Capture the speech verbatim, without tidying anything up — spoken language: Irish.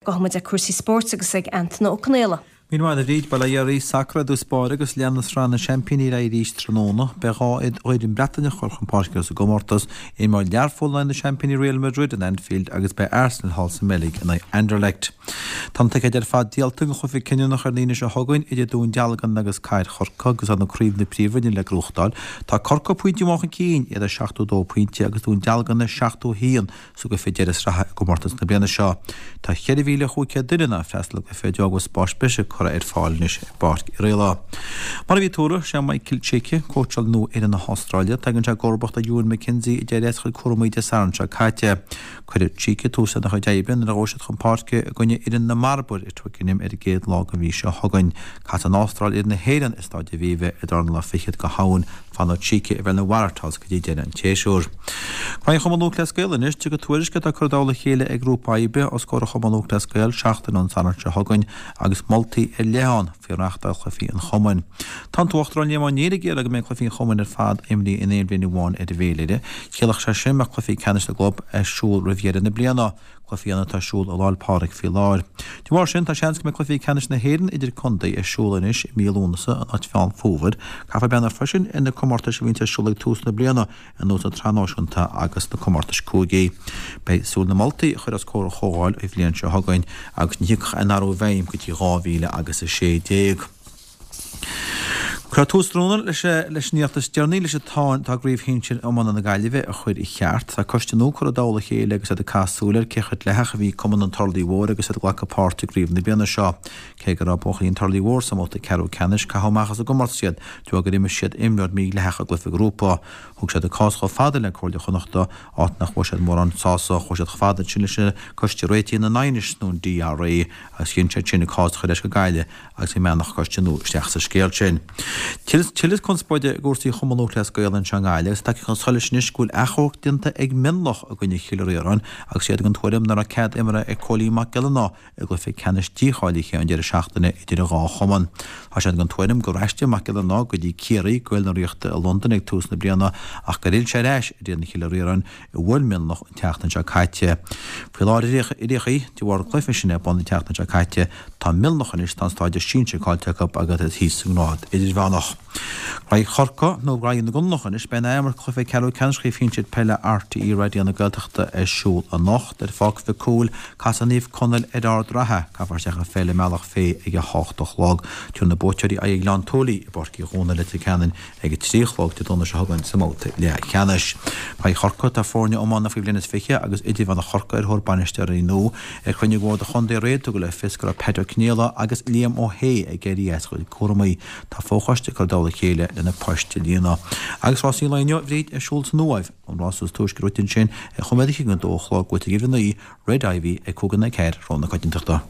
Gabhfaidh muid ag cúrsaí spóirt agus ag Antaine Ó Conaola. Míle maith a Bhríd, Bail ó Dhia oraibh, sacar i dtús báire agus leanfaidh an Sraith na Seaimpíní ar aghaidh arís tráthnóna. Beidh dhá fhoireann Breataineach ag dul chun páirce sa gcomórtas, imreoidh Learpholl in aghaidh na seaimpíní Real Madrid in Anfield agus beidh Arsenal thall sa mBeilg in aghaidh Anderlecht. Tá na ticéid ar fad díolta don chluiche cinniúnach ar an Aoine seo chugainn idir Dún Dealgan agus Cathair Chorcaí agus tá na craobh na Príomhroinne le gnóthachtáil. Tá Corcaigh pointe amháin chun cinn, iad ar seachtó dó pointe agus Dún Dealgan ar seachtó a haon sa gcluiche deireadh sraithe i gcomórtas na bliana seo. Tá ceithre mhíle chúig chéad duine in ann freastal ar an gcluiche de bharr go bhfuil spás breise curtha ar fáil anois i bPáirc Uí Raghallaigh. Mar a bhí tuartha, sé Michael Cheika cóitseálaí nua fhoireann na hAstráile. Tagann sé i gcomharbacht ar Ewen McKenzie a d'éirigh as a chuid cúramaí Dé Sathairn seo caite. Cuirfidh Cheika tús lena chuid oibre nuair a ghabhfaidh siad chun páirce i gcoinne fhoireann na mBarbar i Twickenham ar an gcéad lá den mhí seo chugainn. Casfaidh an Astráil fhoireann na hÉireann i Staid Aviva ar an dara lá fichead de Shamhain. Fanfaidh Cheika i bhfeighil na Waratahs go dtí deireadh an tséasúir. Craobh Chumann Lúthchleas Gael anois, tiocfaidh tuairisc atá curtha i dtoll a chéile ag grúpa oibre os comhair Chumann Lúthchleas Gael seachtain ón Satharn seo chugainn agus moltaí ar leith ann faoi reáchtáil chluichí an chumainn. Tá an tUachtarán Liam Ó Néill ag iarraidh go mbeidh cluichí an chumainn ar fad imrithe in aon bhliain amháin ar an bhféilire. Chiallódh sé sin go mbeadh cluichí ceannais na gclub ar siúl roimh dheireadh na bliana. Cluichí ann atá ar siúl i Lá 'le Pádraig faoi láthair. De bharr sin, tá seans go mbeidh cluichí ceannais na hÉireann idir contae ar siúl anois i mí Lúnasa in áit Mheán Fómhair. Caithfear breathnú freisin ar na comórtais a bhíonn ar siúl ag tús na bliana, ar nós na Sraithe Náisiúnta agus na comórtais cúigí. Beidh súil na moltaí a chur os comhair an chomhdháil an bhliain seo chugainn agus ní thiocfaidh aon athrú i bhfeidhm go dtí dhá mhíle agus a sé déag. Cuirfear tús tráthnóna leis leis an nuacht is deireanaí leis an tsáinn atá i gCraobh Shinsir Iomána na Gaillimhe a chur i cheart. Tá coiste nua curtha i dtoll a chéile agus iad ag caitheamh súil ar cé chomh dleathach a bhí Cumann an Turlaigh Mhóir agus iad ag glacadh páirt i gcraobh na bliana seo. Cé go raibh buachaillí an Turlaigh Mhóir sa mbabhta ceathrú ceannais, caitheadh amach as an gcomórtas iad de bharr gur imir siad imreoir mídhleathach i gcluiche grúpa. Thug siad a gcás chomh fada le Comhairle Chonnachta, áit nach bhfuair siad mórán sásamh. Chuaigh siad chomh fada ansin leis an Coiste Réitigh na nAighneas nó an DRA agus chinn siad sin a gcás a chur ar ais go Gaillimh agus go mbeannódh coiste nua isteach sa scéal sin. Tuilleadh conspóide i gcúrsaí Chumann Lúthchleas Gael anseo i nGaillimh agus tagtha chun solais anois go bhfuil achomharc déanta ag Mionlach i gcoinne Chill Ríoráin agus iad den tuairim nach raibh cead imeartha ag Cóilín Mac Giollarnáth i gcluiche ceannais dícháilithe an deireadh seachtaine idir an dhá chumann. Tá siad den tuairim gur aistrigh Mac Giollarnáth go dtí Ciarraí go bhfuil na Ríochta i Londain ag tús na bliana ach gur fhill sé ar ais ar fhoireann Chill Ríoráin a bhuail Mionlach an tseachtain seo caite. Faoi láthair ar aon chaoi, de bharr an chluiche sin ar bun an tseachtain seo caite, tá Mionlach anois, tá an stádas sinsir caillte acu agus iad thíos sa ngrád idirmheánach. Raghaidh Chorcaigh, nó raghaidh na gConallach anois, beidh an athimirt cluiche ceathrú ceannais Chraobh Shinsir Peile RTÉ Raidió na Gaeltachta ar siúl anocht. Ar Pháirc Mhic Cumhaill, casfaidh Naomh Conaill ar Ard Ratha. Caithfear isteach an pheil i mbealach Féich ag a hocht a chlog. Tabharfaidh na buaiteoirí aghaidh ar Ghleann tSúilí i bPáirc Uí Dhónaill i Leitir Ceanainn ag a trí a chlog Dé Domhnaigh seo chugainn sa mbabhta leathcheannais. Raghaidh Chorcaí, tá foirne iomána faoi bhliain is fiche agus idirmheánach Chorcaí ar thóir bainisteoirí nua. Ar chruinniú Bhord an Chontae aréir tugadh le fios go raibh Pat Ó Conaola agus Liam Ó hAodha ag éirí as a gcuid cúramaí. Tá fochoiste curtha i dtoll a chéile le na poist a líonadh. Agus rásaí an lae inniu, a Bhríd, ar siúl san Uaimh. An rás is túisce ráite ansin ar chóiméad a chinneadh dó a chlog go bhfuil ag uimhir a naoi, Red Ivy, ag cúig in aghaidh a ceathair, rogha na coitiantachta.